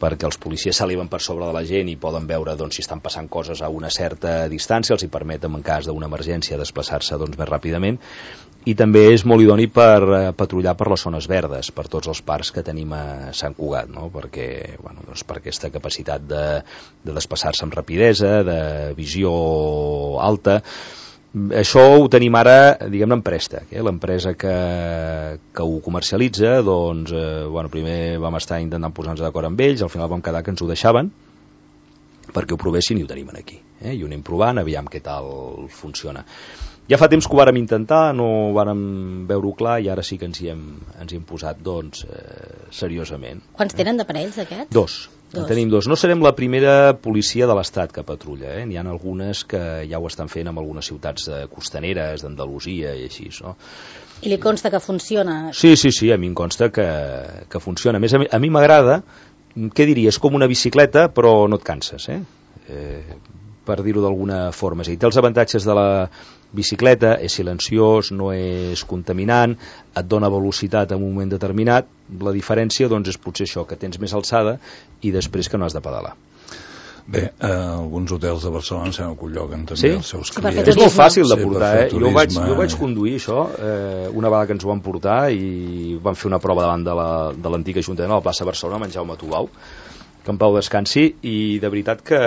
perquè els policies s'eleven per sobre de la gent i poden veure si estan passant coses a una certa distància, els hi permeten en cas d'una emergència desplaçar-se més ràpidament, i també és molt idoni per patrullar per les zones verdes, per tots els parcs que tenim a Sant Cugat, no? Perquè, per aquesta capacitat de desplaçar-se amb rapidesa, de visió alta. Això ho tenim ara, diguem-ne, en préstec. L'empresa que ho comercialitza, primer vam estar intentant posar-nos d'acord amb ells, al final vam quedar que ens ho deixaven, perquè ho provessin i ho tenim aquí. I ho anem provant, aviam què tal funciona. Ja fa temps que ho vàrem intentar, no vàrem veure-ho clar i ara sí que ens hi hem posat seriosament. Quants tenen d'aparells aquests? Dos. En tenim dos. No serem la primera policia de l'Estat que patrulla. N'hi ha algunes que ja ho estan fent en algunes ciutats costaneres d'Andalusia i així, no? I li consta que funciona? Sí, a mi em consta que funciona. A més, a mi m'agrada, què diria, és com una bicicleta però no et canses, per dir-ho d'alguna forma. És a dir, té els avantatges de la bicicleta, és silenciós, no és contaminant, et dona velocitat en un moment determinat. La diferència doncs, és potser això, que tens més alçada i després que no has de pedalar. Bé, alguns hotels de Barcelona s'han acolloguen també els seus clients. És molt fàcil de portar, Jo vaig conduir això una vegada que ens ho van portar i vam fer una prova davant de l'antic Ajuntament a la plaça Barcelona, amb en Jaume Tubau, que en pau descansi, i de veritat que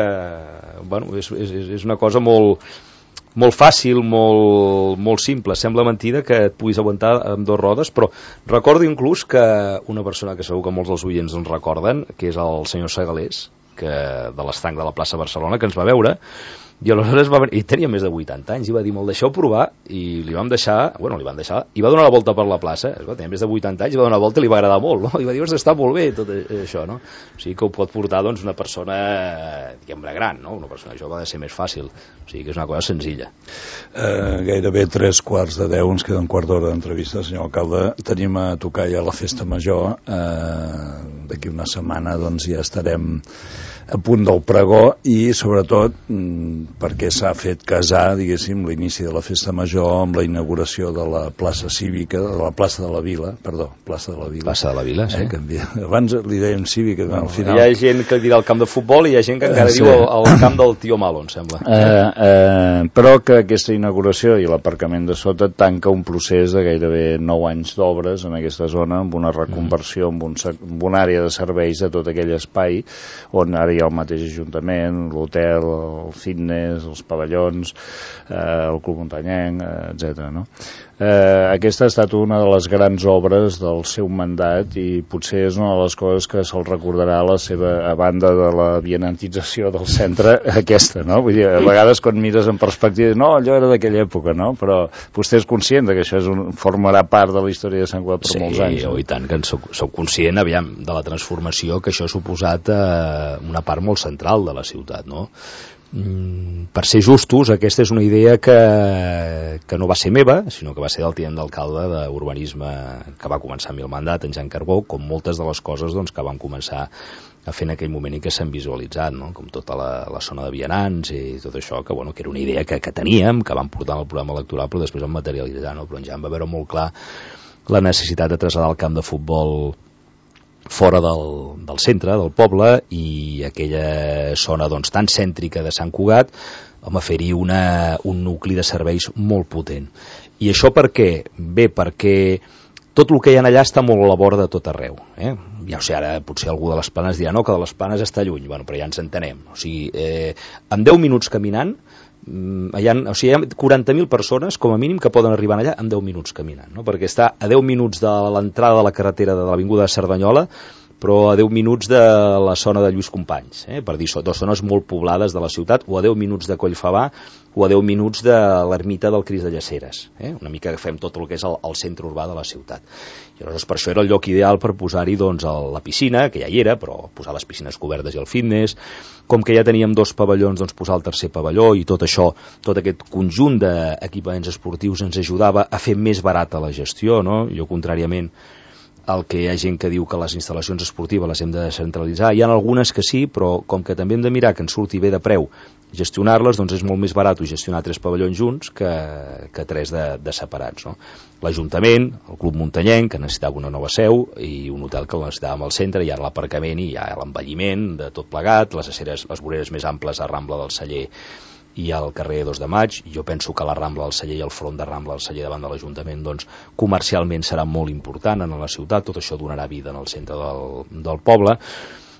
és una cosa molt fàcil, molt simple. Sembla mentida que et puguis aguantar amb dos rodes, però recordo inclús que una persona que segur que molts dels oients ens recorden, que és el senyor Segalés, de l'estanc de la plaça Barcelona, que ens va veure, i aleshores i tenia més de 80 anys, i va dir, me'l deixeu provar, i li van deixar, i va donar la volta per la plaça, tenia més de 80 anys, i va donar la volta i li va agradar molt, no? I va dir, està molt bé tot això, no? O sigui que ho pot portar doncs una persona, diguem-ne, gran, no? Una persona jove ha de ser més fàcil, o sigui que és una cosa senzilla. Gairebé 3:45, ens queda un quart d'hora d'entrevista, senyor alcalde. Tenim a tocar ja la festa major, d'aquí una setmana doncs ja estarem a punt del pregó i sobretot perquè s'ha fet casar, diguéssim, l'inici de la festa major amb la inauguració de la plaça cívica, de la plaça de la Vila, plaça de la Vila. Plaça de la Vila, sí. Abans li dèiem cívica, al final... Hi ha gent que dirà el camp de futbol i hi ha gent que encara diu el camp del tio Malo, em sembla. Però que aquesta inauguració i l'aparcament de sota tanca un procés de gairebé 9 anys d'obres en aquesta zona, amb una reconversió, amb una àrea de serveis de tot aquell espai on ara hi ha el mateix Ajuntament, l'hotel, el fitness, els pavellons, el club muntanyenc, etc. No? Aquesta ha estat una de les grans obres del seu mandat i potser és una de les coses que se'l recordarà a banda de la vianantització del centre, aquesta, no? Vull dir, a vegades quan mires en perspectiva, no, allò era d'aquella època, no? Però vostè és conscient que això formarà part de la història de Sant Cugat per molts anys. Sí, i tant que soc conscient, aviam, de la transformació que això ha suposat una part molt central de la ciutat, no? Per ser justos, aquesta és una idea que no va ser meva, sinó que va ser del tinent d'alcalde d'urbanisme que va començar amb el mandat, en Jan Carbó, com moltes de les coses doncs, que vam començar a fer en aquell moment i que s'han visualitzat, no? Com tota la zona de vianants i tot això, que era una idea que teníem, que vam portar en el programa electoral, però després vam materialitzar, no? Però en Jan va veure molt clar la necessitat de traslladar el camp de futbol fora del centre, del poble, i aquella zona doncs, tan cèntrica de Sant Cugat, fer-hi un nucli de serveis molt potent. I això per què? Bé, perquè tot el que hi ha allà està molt a la vora de tot arreu. Ja ho sé, ara potser algú de les Planes dirà no, que de les Planes està lluny, però ja ens entenem. O sigui, en 10 minuts caminant, hi ha 40.000 persones com a mínim que poden arribar allà en 10 minuts caminant, no? Perquè està a 10 minuts de l'entrada de la carretera de l'Avinguda de Cerdanyola, però a 10 minuts de la zona de Lluís Companys, per dir dues zones molt poblades de la ciutat, o a 10 minuts de Collfabà, o a 10 minuts de l'ermita del Crist de Llaceres, una mica que fem tot el que és el centre urbà de la ciutat. I llavors per això era el lloc ideal per posar-hi doncs, la piscina, que ja hi era, però posar les piscines cobertes i el fitness, com que ja teníem 2 pavellons, doncs posar el tercer pavelló, i tot això, tot aquest conjunt d'equipaments esportius ens ajudava a fer més barata la gestió, no? Jo, contràriament el que hi ha gent que diu que les instal·lacions esportives les hem de descentralitzar, hi ha algunes que sí, però com que també hem de mirar que ens surti bé de preu gestionar-les, doncs és molt més barat gestionar 3 pavellons junts que 3 de separats, no? L'Ajuntament, el Club Muntanyenc, que necessitava una nova seu, i un hotel que el necessitàvem al centre, i ara l'aparcament i ja l'envelliment de tot plegat, les voreres més amples a Rambla del Celler i al carrer 2 de Maig. Jo penso que la Rambla del Celler i el front de Rambla del Celler davant de l'Ajuntament doncs, comercialment serà molt important en la ciutat, tot això donarà vida en el centre del poble.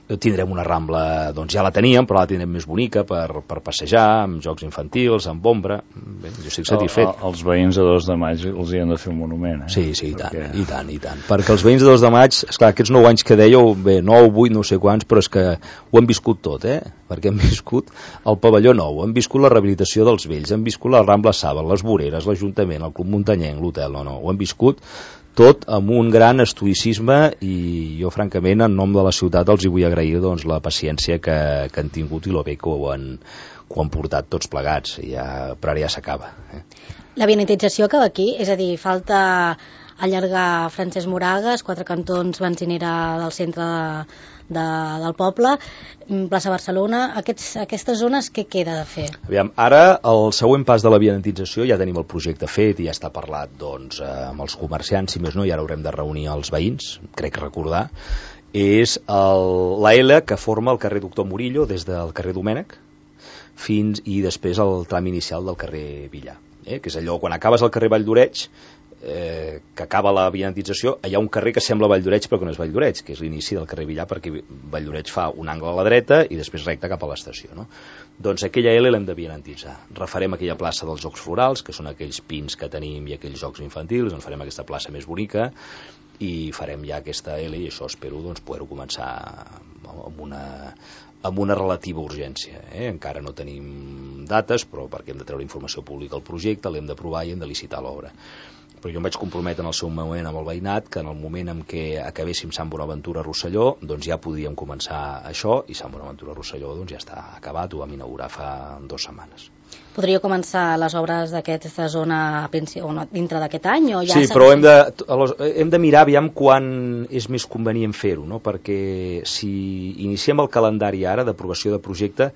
Tindrem una Rambla, doncs ja la teníem, però la tindrem més bonica per passejar, amb jocs infantils, amb ombra. Bé, jo estic satisfet. Els veïns de 2 de maig els hi han de fer un monument, eh? Sí, i tant. Perquè els veïns de 2 de maig, esclar, aquests 9 anys que dèieu, bé, 9, 8, no sé quants, però és que ho hem viscut tot, perquè hem viscut el pavelló nou, hem viscut la rehabilitació dels vells, hem viscut la Rambla Saba, les voreres, l'Ajuntament, el Club Muntanyenc, l'hotel, ho hem viscut tot amb un gran estoïcisme, i jo francament en nom de la ciutat els hi vull agrair doncs, la paciència que han tingut i lo bé que ho han portat tots plegats, però ara ja s'acaba. La vianització acaba aquí, és a dir, falta allargar Francesc Moragas, 4 cantons benzinera del centre del poble, plaça Barcelona, aquestes zones què queda de fer? Aviam, ara el següent pas de la vianització, ja tenim el projecte fet i ja està parlat doncs, amb els comerciants, si més no, i ara haurem de reunir els veïns, crec recordar, és la L que forma el carrer Doctor Murillo des del carrer Domènec i després el tram inicial del carrer Villar, que és allò, quan acabes al carrer Vall d'Oreig, que acaba la vianització, hi ha un carrer que sembla Vall d'Oreig però que no és Vall d'Oreig, que és l'inici del carrer Villar, perquè Vall d'Oreig fa un angle a la dreta i després recte cap a l'estació, no? Doncs aquella L l'hem de vianititzar. Refarem aquella plaça dels Jocs Florals, que són aquells pins que tenim i aquells jocs infantils, doncs farem aquesta plaça més bonica i farem ja aquesta L, i això espero doncs, poder-ho començar amb una relativa urgència. Encara no tenim dates, però perquè hem de treure informació pública al projecte, l'hem d'aprovar i hem de licitar l'obra. Però jo em vaig comprometre en el seu moment amb el veïnat que en el moment en què acabéssim Sant Bonaventura Rosselló, doncs ja podíem començar això, i Sant Bonaventura Rosselló doncs ja està acabat, ho vam inaugurar fa 2 setmanes. Podria començar les obres d'aquesta zona dintre d'aquest any? O ja sí, però hem de mirar aviam quan és més convenient fer-ho, no? Perquè si iniciem el calendari ara d'aprovació de projecte,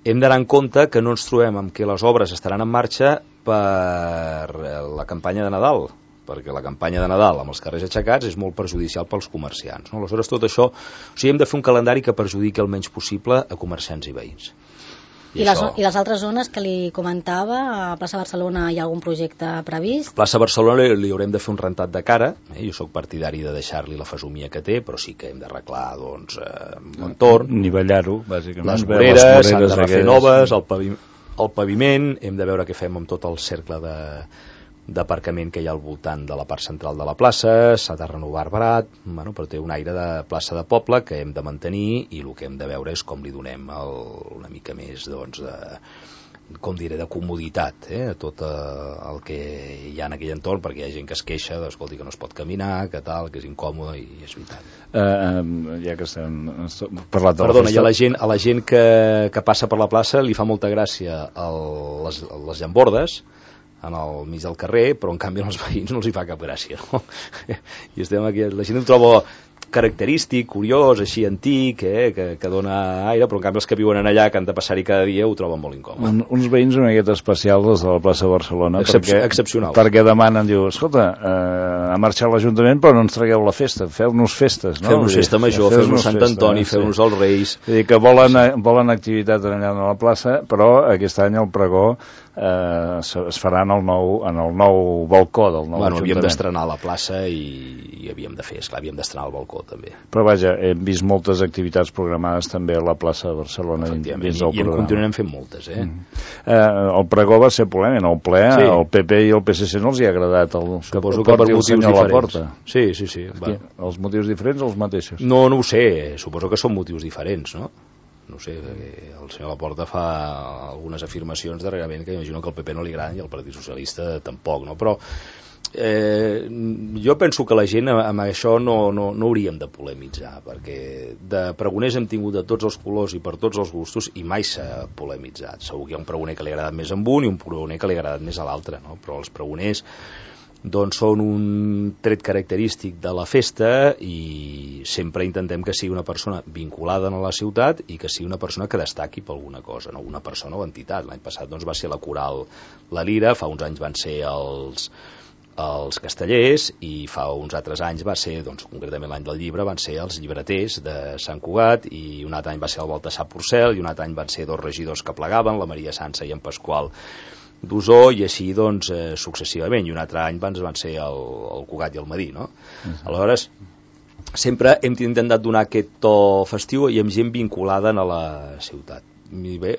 hem d'anar en compte que no ens trobem amb que les obres estaran en marxa per la campanya de Nadal, perquè la campanya de Nadal amb els carrers aixecats és molt perjudicial pels comerciants, no? Aleshores tot això, hem de fer un calendari que perjudiqui el menys possible a comerciants i veïns. I les altres zones que li comentava, a plaça Barcelona hi ha algun projecte previst? A plaça Barcelona li haurem de fer un rentat de cara, jo sóc partidari de deixar-li la fesomia que té, però sí que hem d'arreglar l'entorn, nivellar-ho, bàsicament, les voreres s'han de refer noves, el paviment, hem de veure què fem amb tot el cercle d'aparcament que hi ha al voltant de la part central de la plaça, s'ha de renovar barat, però té un aire de plaça de poble que hem de mantenir, i el que hem de veure és com li donem una mica més de comoditat a tot el que hi ha en aquell entorn, perquè hi ha gent que es queixa, escolti, que no es pot caminar, que tal, que és incòmode, i és veritat. Ja que estem parlant de Perdona, i a la gent que passa per la plaça li fa molta gràcia les llambordes al mig del carrer, però en canvi als veïns no els hi fa cap gràcia, no? I estem aquí, la gent ho troba característic, curiós, així antic, que dona aire, però en canvi els que viuen allà, que han de passar-hi cada dia, ho troben molt incòmode. Uns veïns una miqueta especials, els de la plaça de Barcelona, excepcionals, perquè demanen, diu, escolta, ha marxat l'Ajuntament, però no ens tragueu la festa, feu-nos festes, no? Feu-nos festa major, feu-nos Sant Antoni, feu-nos els Reis. És a dir, que volen activitat allà a la plaça, però aquest any el pregó es farà en el nou balcó del nou Ajuntament. Havíem d'estrenar la plaça i havíem d'estrenar el balcó també. Però vaja, hem vist moltes activitats programades també a la plaça de Barcelona dins del programa. I en continuarem fent moltes, El pregó va ser polèmic, en el ple, el PP i el PSC no els hi ha agradat suposo que per motius diferents. Sí. Els motius diferents o els mateixos? No ho sé, suposo que són motius diferents, no? No sé, el senyor Laporta fa algunes afirmacions darrerament que imagino que al PP no li agraden i al Partit Socialista tampoc, no? Però jo penso que la gent amb això no hauríem de polemitzar, perquè de pregoners hem tingut de tots els colors i per tots els gustos i mai s'ha polemitzat. Segur que hi ha un pregoner que li ha agradat més amb un i un pregoner que li ha agradat més a l'altre, no? Però els pregoners doncs són un tret característic de la festa i sempre intentem que sigui una persona vinculada a la ciutat i que sigui una persona que destaqui per alguna cosa, no una persona o entitat. L'any passat doncs, va ser la coral La Lira, fa uns anys van ser els castellers i fa uns altres anys va ser, doncs, concretament l'any del llibre, van ser els llibreters de Sant Cugat, i un altre any va ser el Baltasar Porcel, i un altre any van ser 2 regidors que plegaven, la Maria Sansa i en Pasqual d'Osó, i així doncs successivament, i un altre any van ser el Cugat i el Madí, no? Aleshores sempre hem intentat donar aquest to festiu i amb gent vinculada a la ciutat. I bé,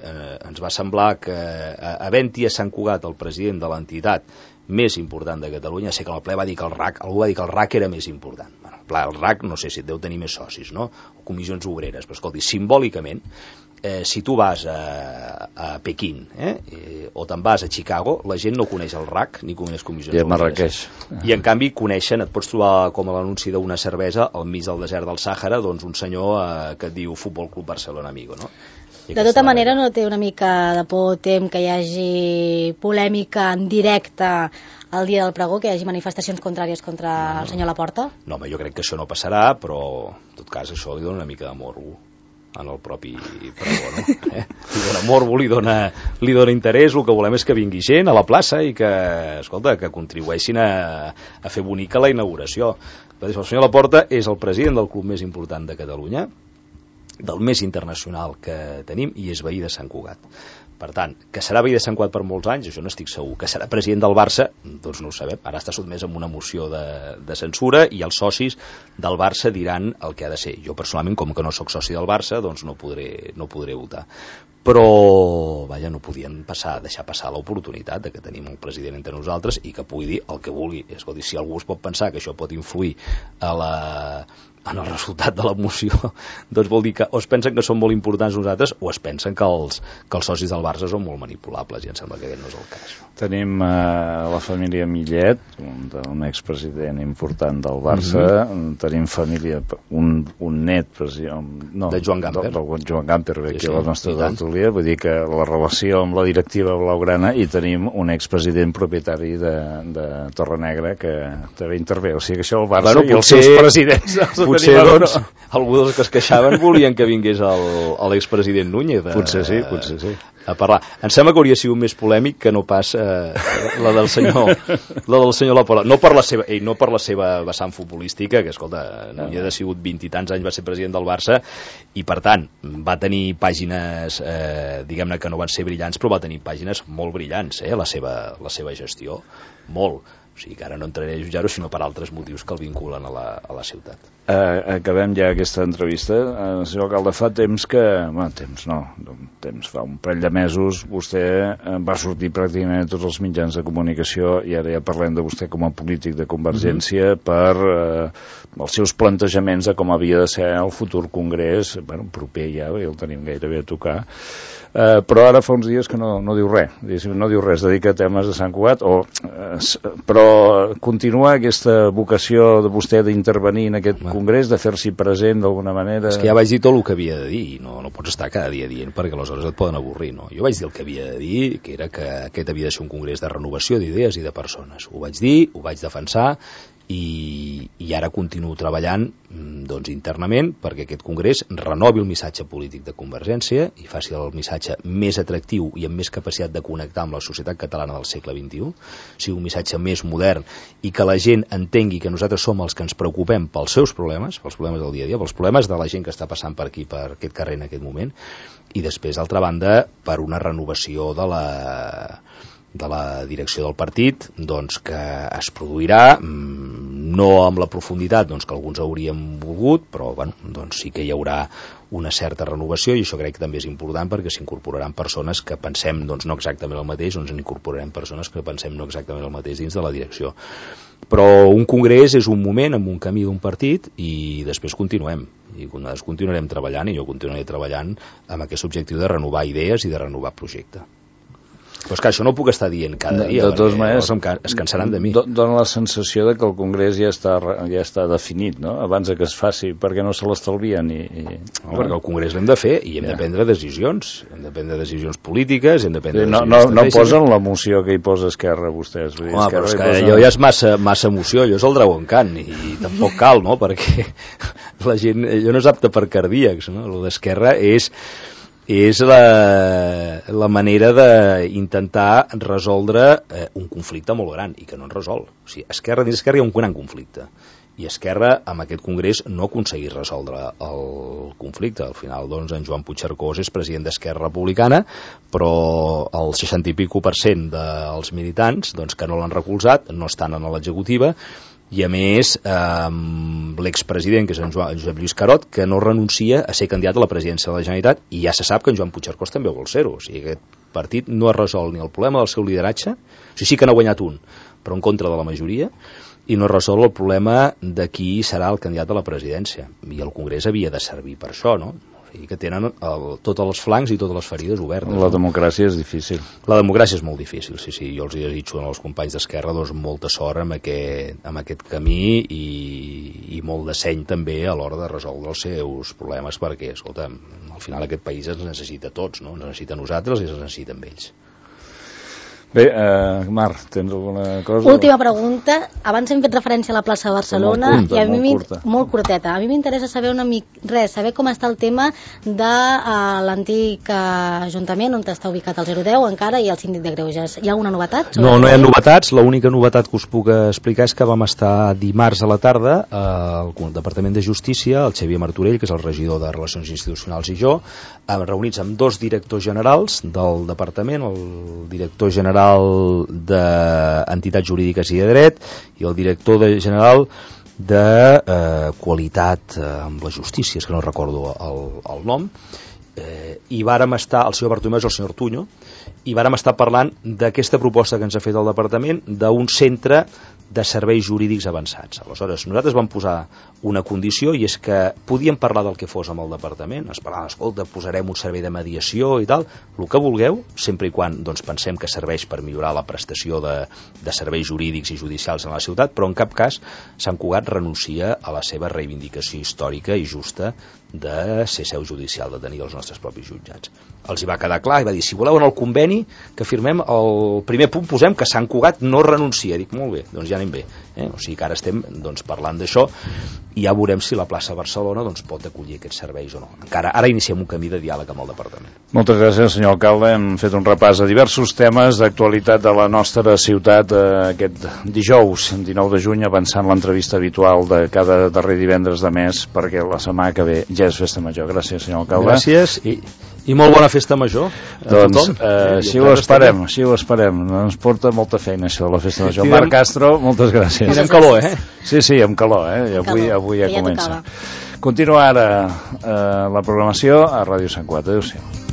ens va semblar que havent-hi a Sant Cugat el president de l'entitat més important de Catalunya, sé que el ple va dir que algú va dir que el RAC era més important. Bueno, el RAC no sé si deu tenir més socis, no? O comissions obreres, però escolti, simbòlicament, si tu vas a Pequín o te'n vas a Chicago, la gent no coneix el RAC ni coneix comissions obreres. I a Marrakeix. I en canvi coneixen, et pots trobar com a l'anunci d'una cervesa al mig del desert del Sàhara, doncs un senyor que et diu Futbol Club Barcelona Amigo, no? De tota manera, no té una mica de por, tem que hi hagi polèmica en directe el dia del pregó, que hi hagi manifestacions contràries contra el senyor Laporta? No, home, jo crec que això no passarà, però en tot cas això li dona una mica de morbo en el propi pregó, no? Li dona morbo, li dona interès, el que volem és que vingui gent a la plaça i que, escolta, que contribueixin a fer bonica la inauguració. El senyor Laporta és el president del club més important de Catalunya, del més internacional que tenim, i és veí de Sant Cugat. Per tant, que serà veí de Sant Cugat per molts anys, això n'estic segur. Que serà president del Barça, doncs no ho sabem. Ara està sotmès a una moció de censura i els socis del Barça diran el que ha de ser. Jo personalment, com que no sóc soci del Barça, doncs no podré votar. Però, vaja, no podien deixar passar l'oportunitat de que tenim un president entre nosaltres i que pugui dir el que vulgui. Escolti, si algú es pot pensar que això pot influir en el resultat de la moció, doncs vol dir que o es pensen que són molt importants nosaltres o es pensen que els socis del Barça són molt manipulables, i em sembla que aquest no és el cas. Tenim la família Millet, un expresident important del Barça, tenim família, un net de Joan Gamper, Joan Gamper ve aquí a la nostra tertúlia, vull dir que la relació amb la directiva blaugrana, i tenim un expresident propietari de Torrenegra que també intervé, o sigui que això el Barça i els seus presidents potser doncs algú dels que es queixaven volien que vingués l'expresident Núñez potser sí a parlar. Em sembla que hauria sigut més polèmic que no pas la del senyor Laporta, no per la seva vessant futbolística, que escolta, Núñez ha sigut 20 i tants anys, va ser president del Barça i per tant va tenir pàgines diguem-ne que no van ser brillants, però va tenir pàgines molt brillants, la seva gestió, molt. O sigui que ara no entraré a jutjar-ho, sinó per altres motius que el vinculen a la ciutat. Acabem ja aquesta entrevista. Senyor alcalde, fa temps que... fa un parell de mesos vostè va sortir pràcticament a tots els mitjans de comunicació, i ara ja parlem de vostè com a polític de Convergència per els seus plantejaments de com havia de ser el futur congrés, proper ja, el tenim gairebé a tocar. Però ara fa uns dies que no diu res, no diu res, dedica a temes de Sant Cugat, però continua aquesta vocació de vostè d'intervenir en aquest congrés, de fer-s'hi present d'alguna manera. És que ja vaig dir tot el que havia de dir, no pots estar cada dia dient, perquè aleshores et poden avorrir, no? Jo vaig dir el que havia de dir, que era que aquest havia de ser un congrés de renovació d'idees i de persones. Ho vaig dir, ho vaig defensar, i ara continuo treballant doncs internament perquè aquest congrés renovi el missatge polític de Convergència i faci el missatge més atractiu i amb més capacitat de connectar amb la societat catalana del segle XXI, sigui un missatge més modern i que la gent entengui que nosaltres som els que ens preocupem pels seus problemes, pels problemes del dia a dia, pels problemes de la gent que està passant per aquí, per aquest carrer en aquest moment, i després, d'altra banda, per una renovació de la direcció del partit, doncs que es produirà, no amb la profunditat doncs, que alguns hauríem volgut, però doncs sí que hi haurà una certa renovació, i això crec que també és important perquè s'incorporaran persones que pensem doncs, no exactament el mateix, doncs incorporarem persones que pensem no exactament el mateix dins de la direcció. Però un congrés és un moment amb un camí d'un partit i després continuem, i nosaltres continuarem treballant, i jo continuaré treballant amb aquest objectiu de renovar idees i de renovar projecte. Però és que això no ho puc estar dient cada dia, de totes maneres, es cansaran de mi. Dóna la sensació de que el Congrés ja està definit, no? Abans que es faci, perquè no se l'estalvien. Perquè el Congrés l'hem de fer i hem de prendre decisions. Hem de prendre decisions polítiques, hem de prendre decisions no posen la moció que hi posa Esquerra, vostès. Home, però és que allò ja és massa emoció, allò és el Dragon Khan, i tampoc cal, no? Perquè la gent, allò no és apte per cardíacs, no? El d'Esquerra és la manera d'intentar resoldre un conflicte molt gran i que no en resol. O sigui, dins Esquerra hi ha un gran conflicte i Esquerra amb aquest congrés no ha aconseguit resoldre el conflicte. Al final doncs en Joan Puigcercós és president d'Esquerra Republicana, però el 60% i pico dels militants doncs, que no l'han recolzat no estan en l'executiva I a més l'expresident, que és en Josep Lluís Carot, que no renuncia a ser candidat a la presidència de la Generalitat, i ja se sap que en Joan Puigcercós també vol ser-ho. O sigui, aquest partit no ha resolt ni el problema del seu lideratge, o sigui, sí que n'ha guanyat un, però en contra de la majoria, i no resol el problema de qui serà el candidat a la presidència. I el Congrés havia de servir per això, no? O sigui que tenen tots els flancs i totes les ferides obertes. La democràcia és difícil. La democràcia és molt difícil, sí. Jo els desitjo als companys d'Esquerra molta sort amb aquest camí i molt de seny també a l'hora de resoldre els seus problemes, perquè, escolta, al final aquest país ens necessita tots, no? Ens necessita a nosaltres i ens necessita amb ells. Bé, Mar, tens alguna cosa? Última pregunta. Abans hem fet referència a la plaça de Barcelona molt curteta. A mi m'interessa saber saber com està el tema de l'antic Ajuntament on està ubicat el 010 encara i el síndic de Greuges. Hi ha alguna novetat? No hi ha novetats. L'única novetat que us puc explicar és que vam estar dimarts a la tarda al Departament de Justícia, el Xavier Martorell, que és el regidor de Relacions Institucionals, i jo, reunits amb dos directors generals del departament, el director general d'Entitats Jurídiques i de Dret i el director general de Qualitat amb la Justícia, és que no recordo el nom, i vàrem estar, el senyor Bartomeu és el senyor Tuño, i vàrem estar parlant d'aquesta proposta que ens ha fet el departament d'un centre de serveis jurídics avançats. Aleshores, nosaltres vam posar una condició, i és que podíem parlar del que fos amb el departament, es parlava, escolta, posarem un servei de mediació i tal, el que vulgueu, sempre i quan doncs, pensem que serveix per millorar la prestació de serveis jurídics i judicials en la ciutat, però en cap cas Sant Cugat renuncia a la seva reivindicació històrica i justa de ser seu judicial, de tenir els nostres propis jutjats. Els hi va quedar clar i va dir, si voleu en el conveni que firmem, el primer punt posem que Sant Cugat no renuncia. Dic, molt bé, doncs ja anem bé. O sigui que ara estem parlant d'això i ja veurem si la plaça Barcelona pot acollir aquests serveis o no. Ara iniciem un camí de diàleg amb el departament. Moltes gràcies, senyor alcalde. Hem fet un repàs a diversos temes d'actualitat de la nostra ciutat aquest dijous, 19 de juny, avançant l'entrevista habitual de cada darrer divendres de mes, perquè la setmana que ve ja és festa major. Gràcies, senyor alcalde. Gràcies i molt bona festa major a tothom. Així ho esperem. Ens porta molta feina això, la festa major. Marc Castro, moltes gràcies. I amb calor, Sí, amb calor, i avui ja comença. Continua ara la programació a Ràdio Sant Cugat. Adéu-siau.